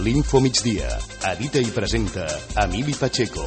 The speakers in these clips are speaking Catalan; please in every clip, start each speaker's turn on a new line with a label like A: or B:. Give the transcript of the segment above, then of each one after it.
A: L'Info Migdia. Edita i presenta Emili Pacheco.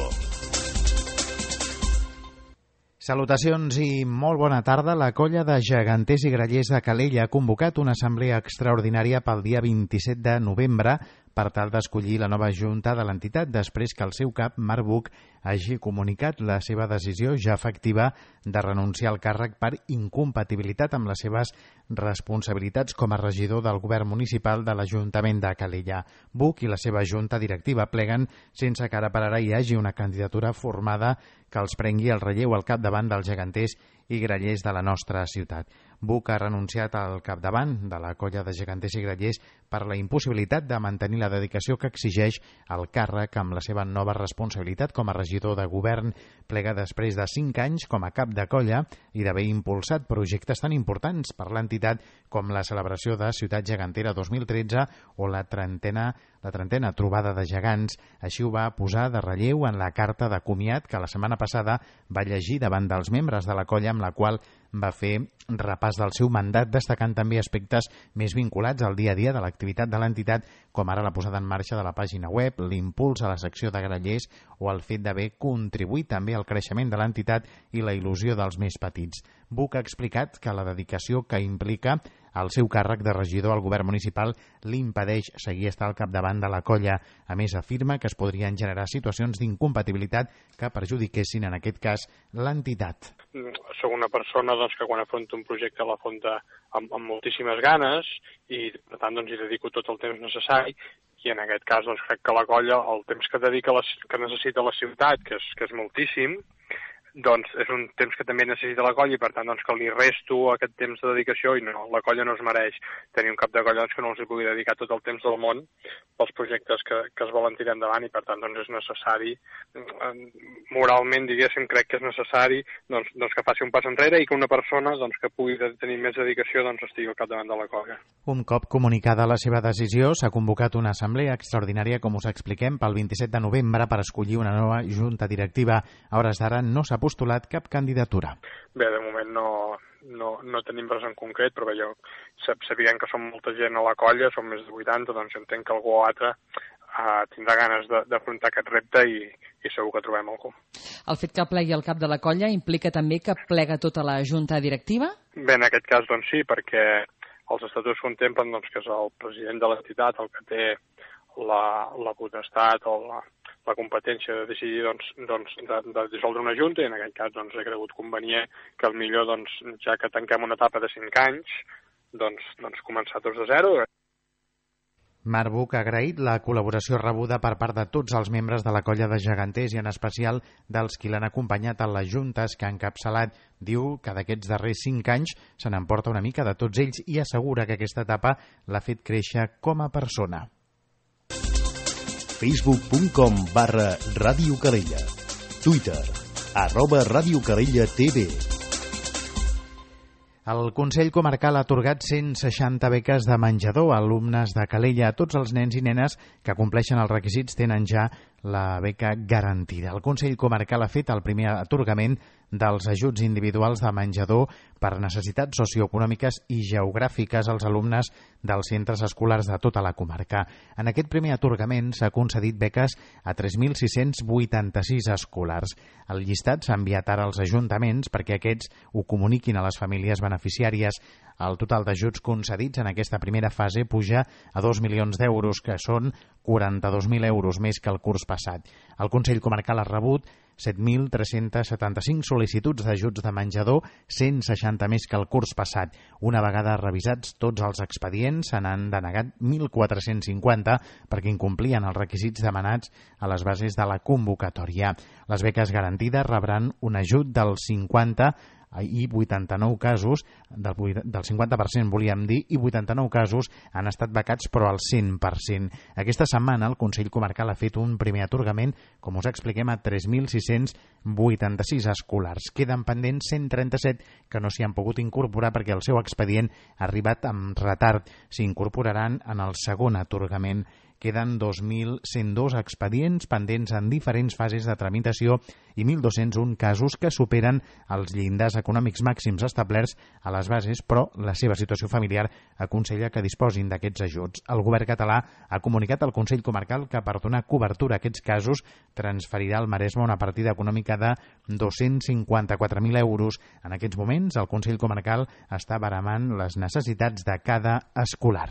B: Salutacions i molt bona tarda. La colla de geganters i grallers de Calella ha convocat una assemblea extraordinària pel dia 27 de novembre per tal d'escollir la nova junta de l'entitat després que el seu cap, Marc Buch, hagi comunicat la seva decisió ja efectiva de renunciar al càrrec per incompatibilitat amb les seves responsabilitats com a regidor del govern municipal de l'Ajuntament de Calella. Buch i la seva junta directiva pleguen sense que ara per ara hi hagi una candidatura formada que els prengui el relleu al capdavant dels geganters i grallers de la nostra ciutat. Buch ha renunciat al capdavant de la colla de geganters i grallers per la impossibilitat de mantenir la dedicació que exigeix el càrrec amb la seva nova responsabilitat com a regidor de govern. Plega després de 5 anys com a cap de colla i d'haver impulsat projectes tan importants per l'entitat com la celebració de Ciutat Gegantera 2013 o la trentena trobada de gegants. Així ho va posar de relleu en la carta de comiat que la setmana passada va llegir davant dels membres de la colla, amb la qual va fer repàs del seu mandat, destacant també aspectes més vinculats al dia a dia de l'activitat de l'entitat, com ara la posada en marxa de la pàgina web, l'impuls a la secció de grallers o el fet d'haver contribuït també al creixement de l'entitat i la il·lusió dels més petits. Buch ha explicat que la dedicació que implica el seu càrrec de regidor al govern municipal li impedeix seguir estar al capdavant de la colla. A més, afirma que es podrien generar situacions d'incompatibilitat que perjudiquessin, en aquest cas, l'entitat.
C: Soc una persona que quan afronta un projecte l'afronta amb moltíssimes ganes i, per tant, hi dedico tot el temps necessari. I en aquest cas crec que la colla, el temps que dedica que necessita la ciutat, que és moltíssim, és un temps que també necessita la colla i per tant que li resto aquest temps de dedicació i no, la colla no es mereix tenir un cap de colla que no els hi pugui dedicar tot el temps del món pels projectes que es volen tirar endavant i per tant és necessari, moralment diguéssim, crec que és necessari que faci un pas enrere i que una persona que pugui tenir més dedicació estigui al capdavant de la colla.
B: Un cop comunicada la seva decisió, s'ha convocat una assemblea extraordinària, com us expliquem, pel 27 de novembre per escollir una nova junta directiva. A hores d'ara no s'ha postulat cap candidatura.
C: Bé, de moment no tenim res en concret, però jo sapiguem que som molta gent a la colla, som més de 80, entenc que algú o altre tindrà ganes d'afrontar aquest repte i segur que trobem algú.
D: El fet que plegui el cap de la colla implica també que plega tota la junta directiva?
C: Bé, en aquest cas sí, perquè els estatuts contemplen que és el president de l'entitat el que té la potestat o la competència de decidir de dissoldre una junta i en aquest cas he cregut convenient que el millor, ja que tanquem una etapa de 5 anys, començar tots de zero.
B: Marc Buch ha agraït la col·laboració rebuda per part de tots els membres de la colla de geganters i en especial dels qui l'han acompanyat a les juntes que ha encapçalat. Diu que d'aquests darrers 5 anys se n'emporta una mica de tots ells i assegura que aquesta etapa l'ha fet créixer com a persona.
A: Facebook.com/Ràdio Calella. Twitter @Ràdio Calella TV.
B: El Consell Comarcal ha atorgat 160 beques de menjador a alumnes de Calella. Tots els nens i nenes que compleixen els requisits tenen ja la beca garantida. El Consell Comarcal ha fet el primer atorgament dels ajuts individuals de menjador per necessitats socioeconòmiques i geogràfiques als alumnes dels centres escolars de tota la comarca. En aquest primer atorgament s'ha concedit beques a 3.686 escolars. El llistat s'ha enviat ara als ajuntaments perquè aquests ho comuniquin a les famílies beneficiàries. El total d'ajuts concedits en aquesta primera fase puja a 2 milions d'euros, que són 42.000 euros més que el curs passat. El Consell Comarcal ha rebut 7.375 sol·licituds d'ajuts de menjador, 160 més que el curs passat. Una vegada revisats tots els expedients, se n'han denegat 1.450 perquè incomplien els requisits demanats a les bases de la convocatòria. Les beques garantides rebran un ajut del 50 i 89 casos, del 50% volíem dir, i 89 casos han estat becats però al 100%. Aquesta setmana el Consell Comarcal ha fet un primer atorgament, com us expliquem, a 3.686 escolars. Queden pendents 137 que no s'hi han pogut incorporar perquè el seu expedient ha arribat amb retard. S'incorporaran en el segon atorgament queden 2.102 expedients pendents en diferents fases de tramitació i 1.201 casos que superen els llindars econòmics màxims establerts a les bases, però la seva situació familiar aconsella que disposin d'aquests ajuts. El govern català ha comunicat al Consell Comarcal que per donar cobertura a aquests casos transferirà al Maresme una partida econòmica de 254.000 euros. En aquests moments, el Consell Comarcal està baramant les necessitats de cada escolar.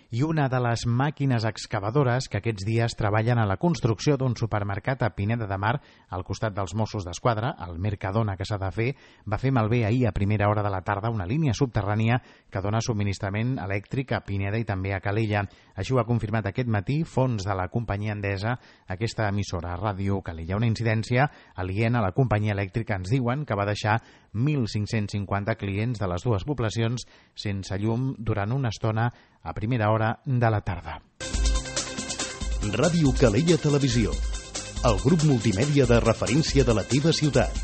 B: I una de les màquines excavadores que aquests dies treballen a la construcció d'un supermercat a Pineda de Mar, al costat dels Mossos d'Esquadra, el Mercadona que s'ha de fer, va fer malbé ahir a primera hora de la tarda una línia subterrània que dona subministrament elèctric a Pineda i també a Calella. Així ho ha confirmat aquest matí fons de la companyia endesa, aquesta emissora Ràdio Calella. Una incidència aliena a la companyia elèctrica, ens diuen, que va deixar 1.550 clients de les dues poblacions sense llum durant una estona a primera hora de la tarda.
A: Ràdio Calella Televisió, el grup multimèdia de referència de la teva ciutat.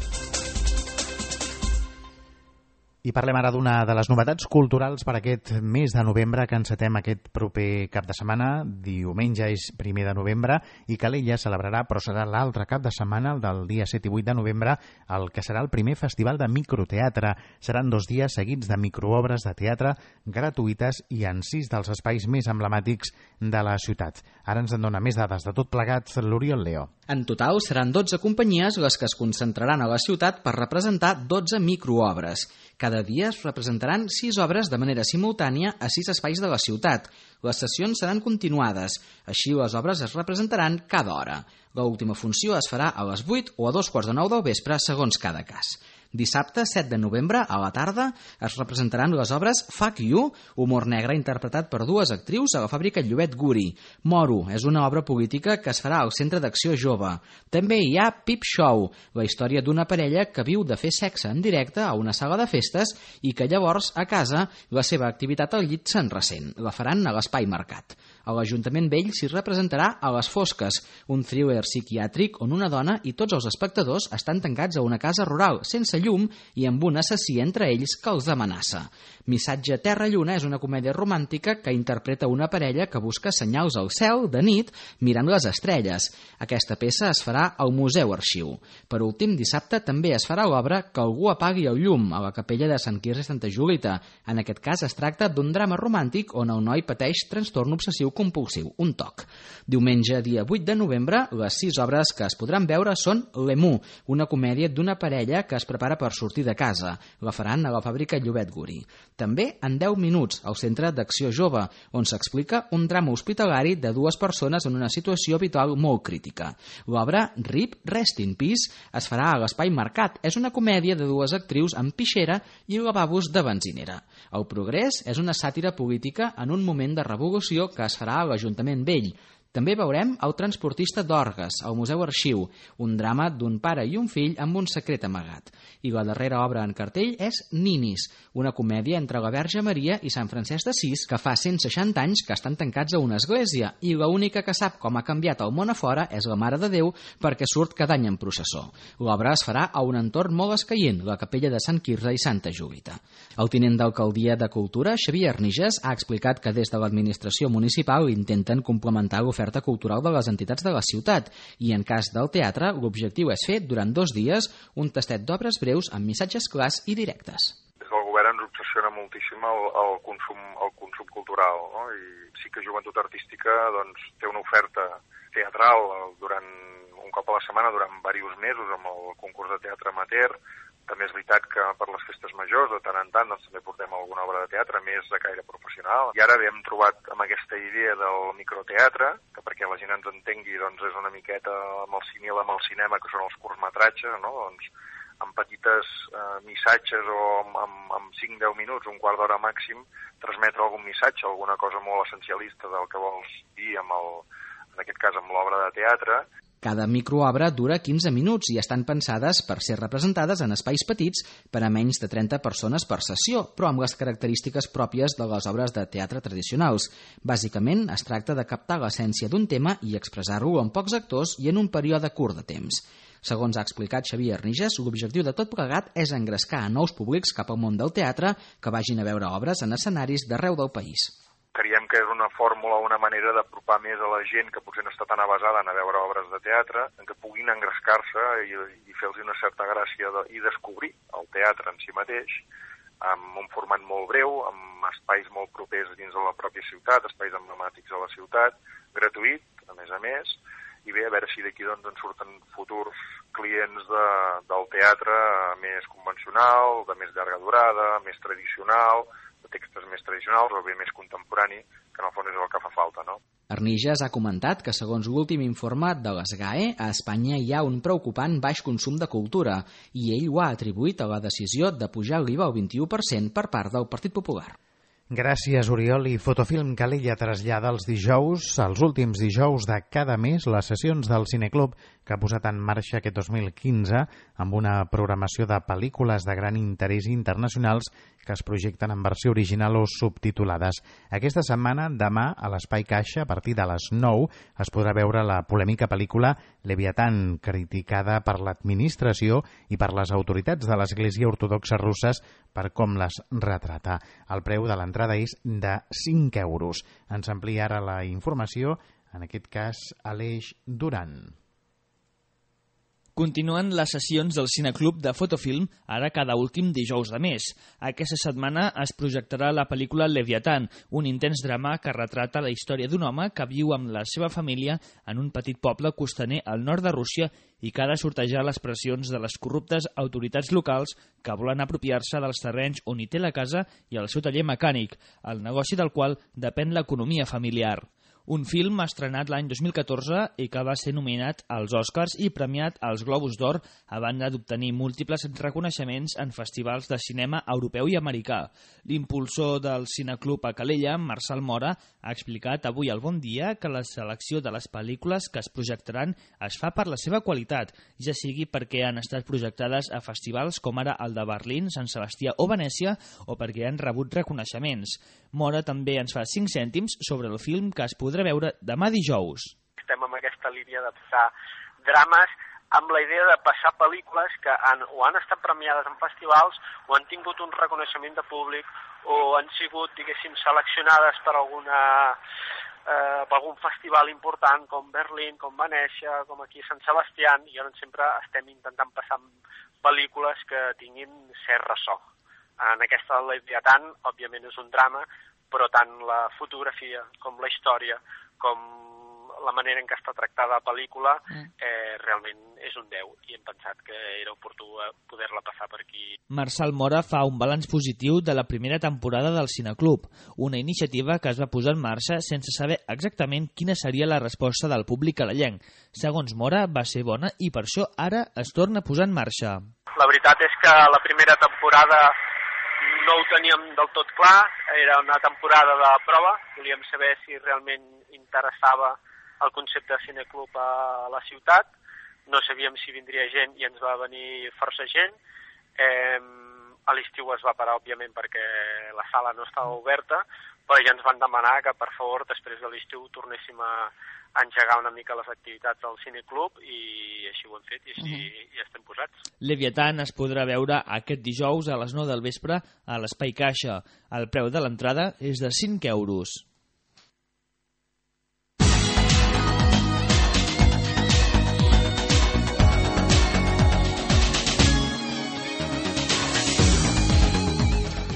B: I parlem ara d'una de les novetats culturals per aquest mes de novembre que encetem aquest proper cap de setmana. Diumenge és 1 de novembre i Calella celebrarà, però serà l'altre cap de setmana, el del dia 7 i 8 de novembre, el que serà el primer festival de microteatre. Seran 2 dies seguits de microobres de teatre gratuïtes i en 6 dels espais més emblemàtics de la ciutat. Ara ens en dona més dades de tot plegat l'Oriol Leo.
E: En total seran 12 companyies les que es concentraran a la ciutat per representar 12 microobres. Cada dia es representaran 6 obres de manera simultània a 6 espais de la ciutat. Les sessions seran continuades, així les obres es representaran cada hora. L'última funció es farà a les 8 o a 2:45 del vespre, segons cada cas. Dissabte, 7 de novembre, a la tarda, es representaran les obres Fuck You, humor negre interpretat per 2 actrius a la fàbrica Llobet Guri. Moro és una obra política que es farà al Centre d'Acció Jove. També hi ha Peep Show, la història d'una parella que viu de fer sexe en directe a una sala de festes i que llavors, a casa, la seva activitat al llit se'n ressent. La faran a l'Espai Mercat. A l'Ajuntament Vell s'hi representarà A les Fosques, un thriller psiquiàtric on una dona i tots els espectadors estan tancats a una casa rural, sense llum i amb un assassí entre ells que els amenaça. Missatge Terra-Lluna és una comèdia romàntica que interpreta una parella que busca senyals al cel de nit mirant les estrelles. Aquesta peça es farà al Museu Arxiu. Per últim, dissabte també es farà l'obra Que algú apagui el llum a la capella de Sant Quirze i Santa Julita. En aquest cas es tracta d'un drama romàntic on el noi pateix trastorn obsessiu compulsiu, un TOC. Diumenge, dia 8 de novembre, les 6 obres que es podran veure són L'Emu, una comèdia d'una parella que es prepara per sortir de casa. La faran a la fàbrica Llobet Guri. També en 10 minuts, al Centre d'Acció Jove, on s'explica un drama hospitalari de 2 persones en una situació vital molt crítica. L'obra RIP, Rest in Peace, es farà a l'Espai Mercat. És una comèdia de 2 actrius amb pixera i lavabos de benzinera. El Progrés és una sàtira política en un moment de revolució que es farà a l'Ajuntament Vell. També veurem El transportista d'Orgues, al Museu Arxiu, un drama d'un pare i un fill amb un secret amagat. I la darrera obra en cartell és Ninis, una comèdia entre la Verge Maria i Sant Francesc d'Assís que fa 160 anys que estan tancats a una església i l'única que sap com ha canviat el món a fora és la Mare de Déu perquè surt cada any en processó. L'obra es farà a un entorn molt escaient, la capella de Sant Quirze i Santa Julita. El tinent d'alcaldia de Cultura, Xavier Arniges, ha explicat que des de l'administració municipal intenten complementar l'oferta cultural de les entitats de la ciutat i en cas del teatre l'objectiu és fer durant 2 dies un tastet d'obres breus amb missatges clars i directes.
F: Des del govern ens obsessiona moltíssim el consum cultural, no? I sí que Joventut Artística doncs, té una oferta teatral durant un cop a la setmana durant diversos mesos amb el concurs de teatre amateur. També és veritat que per les festes majors, de tant en tant, doncs, també portem alguna obra de teatre més de caire professional. I ara hem trobat amb aquesta idea del microteatre, que perquè la gent ens entengui doncs, és una miqueta amb el símil amb el cinema, que són els curtmetratges, no? Doncs, amb petites missatges o amb 5-10 minuts, un quart d'hora màxim, transmetre algun missatge, alguna cosa molt essencialista del que vols dir, en aquest cas amb l'obra de teatre.
E: Cada microobra dura 15 minuts i estan pensades per ser representades en espais petits per a menys de 30 persones per sessió, però amb les característiques pròpies de les obres de teatre tradicionals. Bàsicament, es tracta de captar l'essència d'un tema i expressar-lo amb pocs actors i en un període curt de temps. Segons ha explicat Xavier Arniges, l'objectiu de tot plegat és engrescar a nous públics cap al món del teatre que vagin a veure obres en escenaris d'arreu del país.
F: Creiem que és una fórmula o una manera d'apropar més a la gent que potser no està tan avasada a veure obres de teatre, en què puguin engrescar-se i fer-los una certa gràcia i descobrir el teatre en si mateix, amb un format molt breu, amb espais molt propers dins de la pròpia ciutat, espais emblemàtics de la ciutat, gratuït, a més, i bé, a veure si d'aquí doncs en surten futurs clients del teatre més convencional, de més llarga durada, més tradicional, de textos més tradicionals o bé més contemporani, que en el fons és el que fa falta, no?
E: Arnijas ha comentat que, segons l'últim informe de l'ESGAE, a Espanya hi ha un preocupant baix consum de cultura i ell ho ha atribuït a la decisió de pujar l'IVA al 21% per part del Partit Popular.
B: Gràcies, Oriol. I Fotofilm Calella trasllada els últims dijous de cada mes, les sessions del Cineclub que ha posat en marxa aquest 2015 amb una programació de pel·lícules de gran interès internacionals que es projecten en versió original o subtitulades. Aquesta setmana, demà, a l'Espai Caixa, a partir de les 9, es podrà veure la polèmica pel·lícula Leviatán, criticada per l'administració i per les autoritats de l'Església Ortodoxa Russes per com les retrata. El preu de l'entrada és de 5 euros. Ens amplia ara la informació, en aquest cas, Aleix Duran.
G: Continuen les sessions del Cineclub de Fotofilm, ara cada últim dijous de mes. Aquesta setmana es projectarà la pel·lícula Leviatán, un intens drama que retrata la història d'un home que viu amb la seva família en un petit poble costaner al nord de Rússia i que ha de sortejar les pressions de les corruptes autoritats locals que volen apropiar-se dels terrenys on hi té la casa i el seu taller mecànic, el negoci del qual depèn l'economia familiar. Un film estrenat l'any 2014 i que va ser nominat als Oscars i premiat als Globus d'Or a banda d'obtenir múltiples reconeixements en festivals de cinema europeu i americà. L'impulsor del Cineclub a Calella, Marçal Mora, ha explicat avui al Bon Dia que la selecció de les pel·lícules que es projectaran es fa per la seva qualitat, ja sigui perquè han estat projectades a festivals com ara el de Berlín, Sant Sebastià o Venècia, o perquè han rebut reconeixements. Mora també ens fa 5 cèntims sobre el film que es podrà veure demà dijous.
H: Estem en aquesta línia de passar drames amb la idea de passar pel·lícules que o han estat premiades en festivals o han tingut un reconeixement de públic o han sigut, diguéssim, seleccionades per algun festival important com Berlín, com Venècia, com aquí a Sant Sebastià, i llavors sempre estem intentant passar pel·lícules que tinguin cert ressò. En aquesta Leviatán, òbviament, és un drama, però tant la fotografia com la història, com la manera en què està tractada la pel·lícula, realment és un 10, i hem pensat que era oportú poder-la passar per aquí.
G: Marçal Mora fa un balanç positiu de la primera temporada del Cineclub, una iniciativa que es va posar en marxa sense saber exactament quina seria la resposta del públic calallenc. Segons Mora, va ser bona i per això ara es torna a posar en marxa.
H: La veritat és que la primera temporada no ho teníem del tot clar, era una temporada de prova, volíem saber si realment interessava el concepte de cineclub a la ciutat, no sabíem si vindria gent i ens va venir força gent. A l'estiu es va parar, òbviament, perquè la sala no estava oberta, però ja ens van demanar que, per favor, després de l'estiu tornéssim a engegar una mica les activitats del cineclub, i així ho hem fet, i així ja estem posats.
G: Leviatán es podrà veure aquest dijous a les 9 del vespre a l'Espai Caixa. El preu de l'entrada és de 5 euros.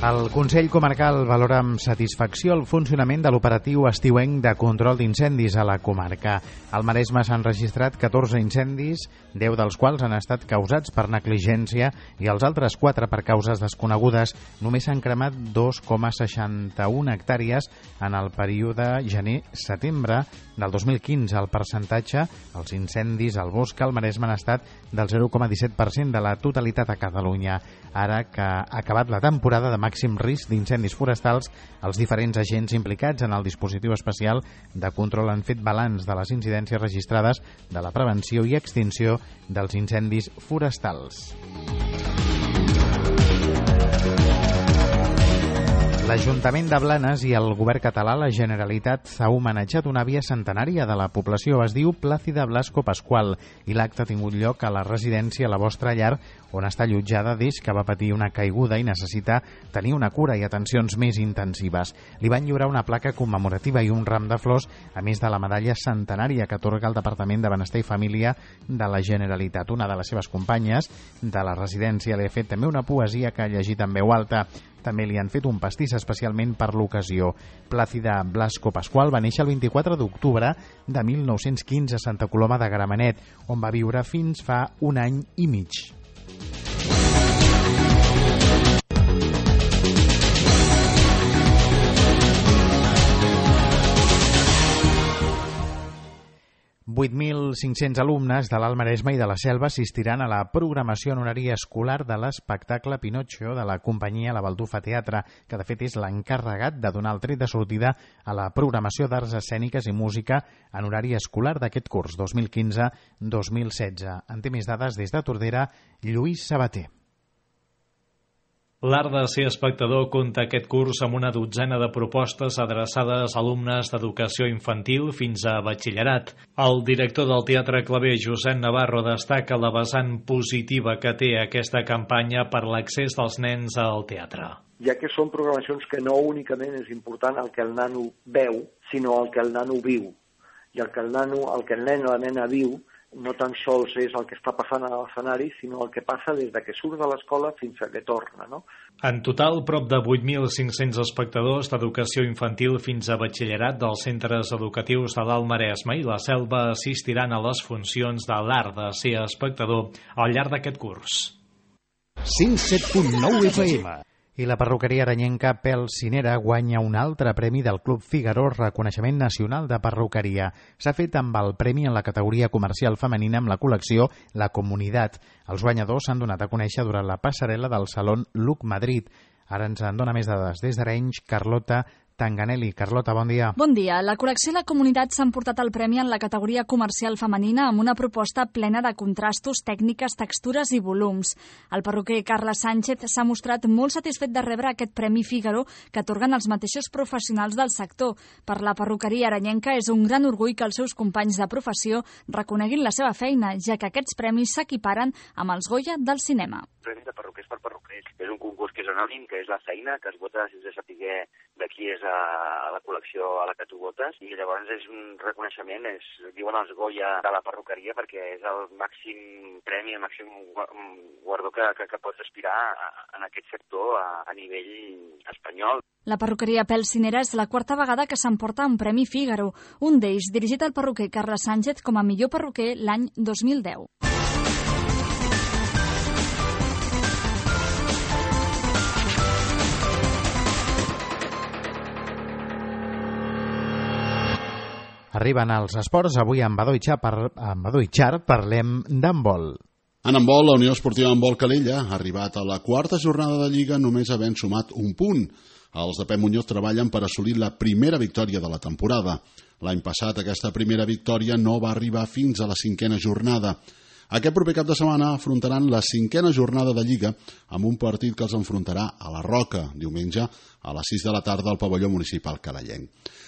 B: El Consell Comarcal valora amb satisfacció el funcionament de l'operatiu estiuenc de control d'incendis a la comarca. Al Maresme s'han registrat 14 incendis, 10 dels quals han estat causats per negligència i els altres 4 per causes desconegudes. Només s'han cremat 2,61 hectàrees en el període gener-setembre del 2015. El percentatge, els incendis al bosc al Maresme han estat del 0,17% de la totalitat a Catalunya. Ara que ha acabat la temporada de màxim risc d'incendis forestals, els diferents agents implicats en el dispositiu especial de control han fet balanç de les incidències registrades de la prevenció i extinció dels incendis forestals. L'Ajuntament de Blanes i el govern català, la Generalitat, ha homenatjat una àvia centenària de la població. Es diu Plàcida Blasco Pascual i l'acte ha tingut lloc a la residència La Vostra Llar, on està allotjada des que va patir una caiguda i necessita tenir una cura i atencions més intensives. Li van lliurar una placa commemorativa i un ram de flors, a més de la medalla centenària que atorga el Departament de Benestar i Família de la Generalitat. Una de les seves companyes de la residència li ha fet també una poesia que ha llegit en veu alta. També li han fet un pastís especialment per l'ocasió. Plàcida Blasco Pascual va néixer el 24 d'octubre de 1915 a Santa Coloma de Gramenet, on va viure fins fa un any i mig. .500 alumnes de l'Alt Maresme i de la Selva assistiran a la programació en horari escolar de l'espectacle Pinocho de la companyia La Baldufa Teatre, que de fet és l'encarregat de donar el tret de sortida a la programació d'arts escèniques i música en horari escolar d'aquest curs 2015-2016. En té més dades des de Tordera, Lluís Sabater.
I: L'Art de ser espectador compta aquest curs amb una dotzena de propostes adreçades a alumnes d'educació infantil fins a batxillerat. El director del Teatre Claver, Josep Navarro, destaca la vessant positiva que té aquesta campanya per l'accés dels nens al teatre.
J: Ja que són programacions que no únicament és important el que el nano veu, sinó el que el nano viu. I el que el nen o la nena viu no tan sols és el que està passant a l'escenari, sinó el que passa des que surt de l'escola fins a que torna, no?
I: En total, prop de 8.500 espectadors d'educació infantil fins a batxillerat dels centres educatius de l'Alt Maresme i la Selva assistiran a les funcions de l'Art de ser espectador al llarg d'aquest curs.
A: 107.9 FM.
B: I la perruqueria aranyenca Pelsinera guanya un altre premi del Club Figaro, reconeixement nacional de perruqueria. S'ha fet amb el premi en la categoria comercial femenina amb la col·lecció La Comunitat. Els guanyadors s'han donat a conèixer durant la passarel·la del Salón Look Madrid. Ara ens en dona més dades des d'Arenys, Carlota Tanganelli. Carlota, bon dia.
K: Bon dia. La col·lecció i la comunitat s'han portat el premi en la categoria comercial femenina amb una proposta plena de contrastos, tècniques, textures i volums. El perruquer Carles Sánchez s'ha mostrat molt satisfet de rebre aquest Premi Figaro que atorguen els mateixos professionals del sector. Per la perruqueria aranyenca és un gran orgull que els seus companys de professió reconeguin la seva feina, ja que aquests premis s'equiparen amb els Goya del cinema.
L: Premi de perruquers per perruquers. És un concurs que és anònim, que és la feina, que es vota sense saber de qui és a la col·lecció a la que tu votes, i llavors és un reconeixement, diuen els Goya de la perruqueria, perquè és el màxim premi, el màxim guardó que pots aspirar en aquest sector a nivell espanyol.
K: La perruqueria Pelsinera és la quarta vegada que s'emporta un Premi Figaro, un d'ells dirigit al perruquer Carles Sánchez com a millor perruquer l'any 2010.
B: Arriben els esports. Avui amb Badó i Xar parlem d'handbol.
M: En handbol, la Unió Esportiva Handbol Calella ha arribat a la quarta jornada de Lliga només havent sumat un punt. Els de Pep Muñoz treballen per assolir la primera victòria de la temporada. L'any passat aquesta primera victòria no va arribar fins a la cinquena jornada. Aquest proper cap de setmana afrontaran la cinquena jornada de Lliga amb un partit que els enfrontarà a la Roca, diumenge a les 6 de la tarda al pavelló municipal calellenc.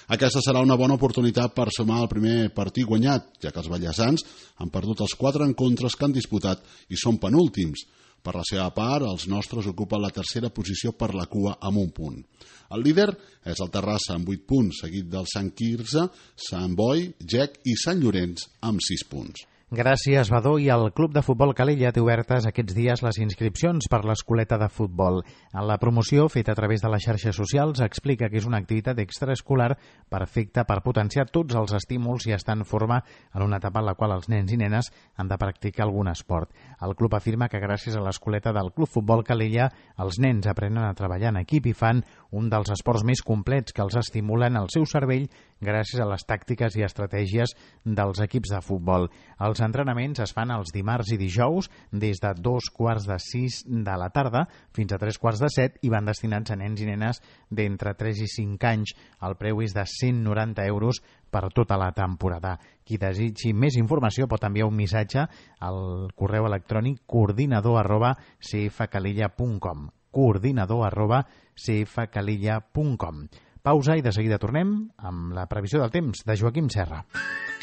M: Aquesta serà una bona oportunitat per sumar el primer partit guanyat, ja que els ballesans han perdut els 4 encontres que han disputat i són penúltims. Per la seva part, els nostres ocupen la tercera posició per la cua amb un punt. El líder és el Terrassa amb 8 punts, seguit del Sant Quirze, Sant Boi, Gec i Sant Llorenç amb 6 punts.
B: Gràcies, Badó. I el Club de Futbol Calella té obertes aquests dies les inscripcions per l'escoleta de futbol. En la promoció, feta a través de les xarxes socials, explica que és una activitat extraescolar perfecta per potenciar tots els estímuls i estar en forma en una etapa en la qual els nens i nenes han de practicar algun esport. El club afirma que gràcies a l'escoleta del Club Futbol Calella els nens aprenen a treballar en equip i fan un dels esports més complets que els estimulen el seu cervell gràcies a les tàctiques i estratègies dels equips de futbol. Els entrenaments es fan els dimarts i dijous des de 2:45 de la tarda fins a 3:45 i van destinats a nens i nenes d'entre 3 i 5 anys. El preu és de 190 euros per tota la temporada. Qui desitgi més informació pot enviar un missatge al correu electrònic coordinador@cfcalella.com coordinador@cfcalella.com. Pausa i de seguida tornem amb la previsió del temps de Joaquim Serra.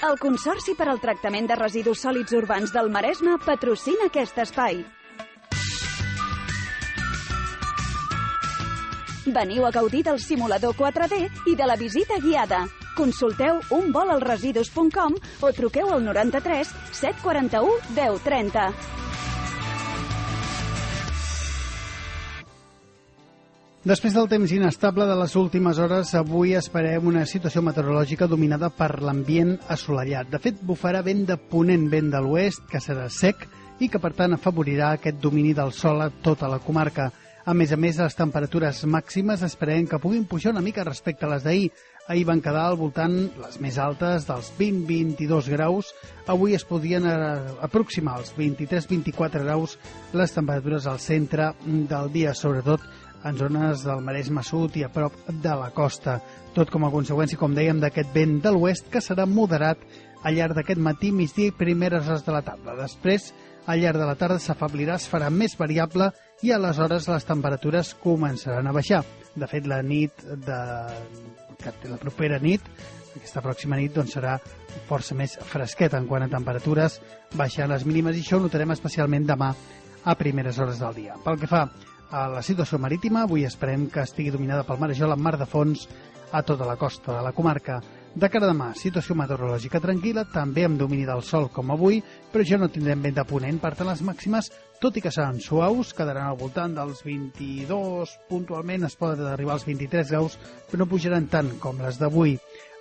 N: El Consorci per al Tractament de Residus Sòlids Urbans del Maresme patrocina aquest espai. Veniu a gaudir del simulador 4D i de la visita guiada. Consulteu unvolalresidus.com o truqueu al 93 741 1030.
O: Després del temps inestable de les últimes hores, avui esperem una situació meteorològica dominada per l'ambient assolellat. De fet, bufarà vent de ponent, vent de l'oest, que serà sec i que, per tant, afavorirà aquest domini del sol a tota la comarca. A més, les temperatures màximes esperem que puguin pujar una mica respecte a les d'ahir. Ahir van quedar al voltant, les més altes, dels 20-22 graus. Avui es podien aproximar als 23-24 graus les temperatures al centre del dia, sobretot en zones del Maresme Sud i a prop de la costa. Tot com a conseqüència, com dèiem, d'aquest vent de l'oest que serà moderat al llarg d'aquest matí, migdia i primeres hores de la tarda. Després, al llarg de la tarda s'afeblirà, es farà més variable i aleshores les temperatures començaran a baixar. De fet, la propera nit, aquesta pròxima nit, doncs serà força més fresqueta en quant a temperatures, baixant les mínimes, i això ho notarem especialment demà a primeres hores del dia. Pel que fa a la situació marítima, avui esperem que estigui dominada pel marejol amb mar de fons a tota la costa de la comarca. De cara a demà, situació meteorològica tranquil·la, també amb domini del sol com avui, però ja no tindrem vent de ponent, per tant les màximes, tot i que seran suaus, quedaran al voltant dels 22, puntualment es poden arribar als 23 graus, però no pujaran tant com les d'avui.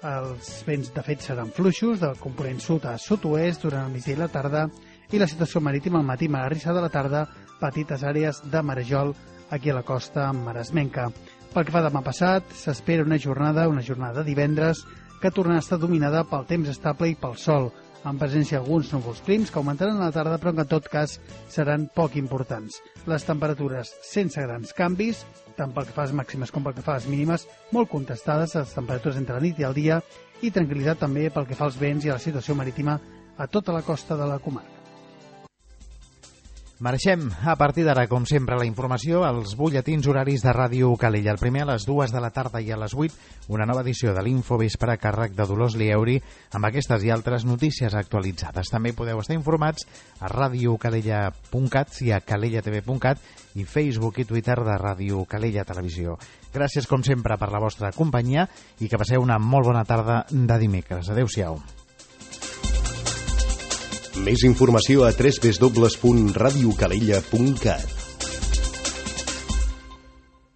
O: Els vents, de fet, seran fluixos, del component sud a sud-oest durant el migdia i la tarda, i la situació marítima al matí, magarrissa de la tarda, petites àrees de marejol aquí a la costa maresmenca. Pel que fa demà passat, s'espera una jornada de divendres, que tornarà a estar dominada pel temps estable i pel sol, amb presència d'alguns núvols prims que augmentaran a la tarda, però que en tot cas seran poc importants. Les temperatures sense grans canvis, tant pel que fa a les màximes com pel que fa a les mínimes, molt contestades, les temperatures entre la nit i el dia, i tranquil·litat també pel que fa als vents i a la situació marítima a tota la costa de la comarca.
B: Marxem a partir d'ara, com sempre, la informació als butlletins horaris de Ràdio Calella. El primer a les 2 de la tarda i a les 8, una nova edició de l'Infovespre a càrrec de Dolors Lieuri amb aquestes i altres notícies actualitzades. També podeu estar informats a radiocalella.cat i a calellatv.cat i Facebook i Twitter de Ràdio Calella Televisió. Gràcies, com sempre, per la vostra companyia i que passeu una molt bona tarda de dimecres. Adéu-siau.
A: Més informació a www.radiocalella.cat.